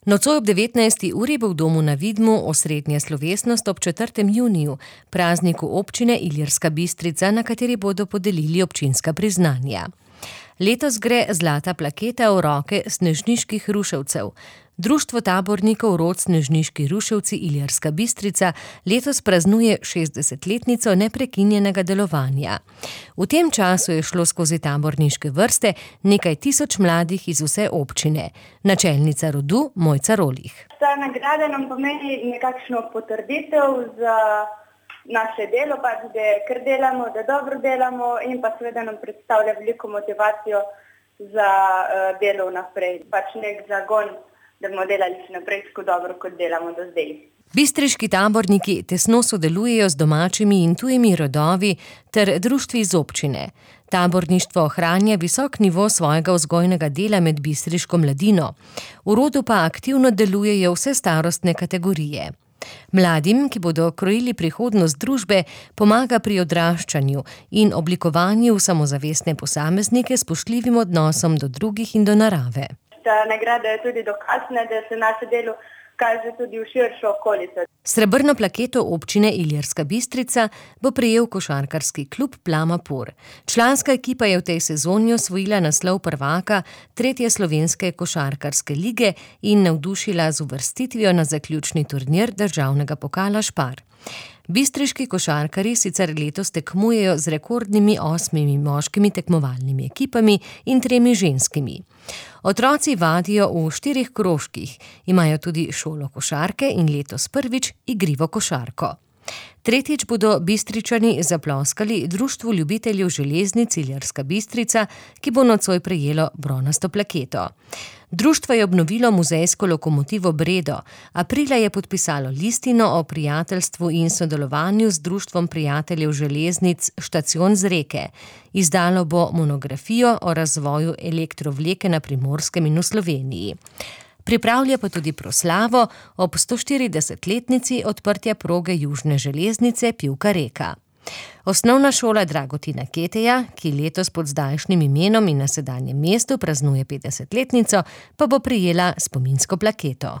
Nocoj ob 19. uri bo v domu na Vidmu osrednja slovesnost ob 4. juniju, prazniku občine Ilirska Bistrica, na kateri bodo podelili občinska priznanja. Letos gre zlata plaketa v roke snežniških ruševcev. Društvo tabornikov rod Snežniški ruševci Ilirska Bistrica letos praznuje 60-letnico neprekinjenega delovanja. V tem času je šlo skozi taborniške vrste nekaj tisoč mladih iz vse občine. Načelnica rodu Mojca Rolih. Ta nagrada nam pomeni nekakšno potrditev za naše delo, da kar delamo, da dobro delamo in pa seveda nam predstavlja veliko motivacijo za delo naprej. Nek zagon, da bomo delali še naprej tako dobro, kot delamo do zdaj. Bistriški taborniki tesno sodelujejo z domačimi in tujimi rodovi ter društvi iz občine. Taborništvo ohranja visok nivo svojega vzgojnega dela med bistriško mladino. V rodu pa aktivno delujejo vse starostne kategorije. Mladim, ki bodo krojili prihodnost družbe, pomaga pri odraščanju in oblikovanju samozavestne posameznike s spoštljivim odnosom do drugih in do narave. Ta nagrada je tudi dokaz, da se naše delo kaže tudi v širšo okolico. Srebrno plaketo občine Ilirska Bistrica bo prejel košarkarski klub Plama Por. Članska ekipa je v tej sezoni osvojila naslov prvaka 3. slovenske košarkarske lige in navdušila z uvrstitvijo na zaključni turnir državnega pokala Špar. Bistriški košarkarji sicer letos tekmujejo z rekordnimi 8 moškimi tekmovalnimi ekipami in 3 ženskimi. Otroci vadijo v 4 krožkih, imajo tudi šolo košarke in letos prvič igrivo košarko. Tretjič bodo Bistričani zaploskali Društvu ljubiteljev železnic Ilirska Bistrica, ki bo nocoj prejelo bronasto plaketo. Društvo je obnovilo muzejsko lokomotivo Bredo. Aprila je podpisalo listino o prijateljstvu in sodelovanju z Društvom prijateljev železnic Štacion z Reke. Izdalo bo monografijo o razvoju elektrovleke na Primorskem in v Sloveniji. Pripravlja pa tudi proslavo ob 140-letnici odprtja proge južne železnice Pivka-Reka. Osnovna šola Dragotina Keteja, ki letos pod zdajšnjim imenom in na sedanjem mestu praznuje 50-letnico, pa bo prejela spominsko plaketo.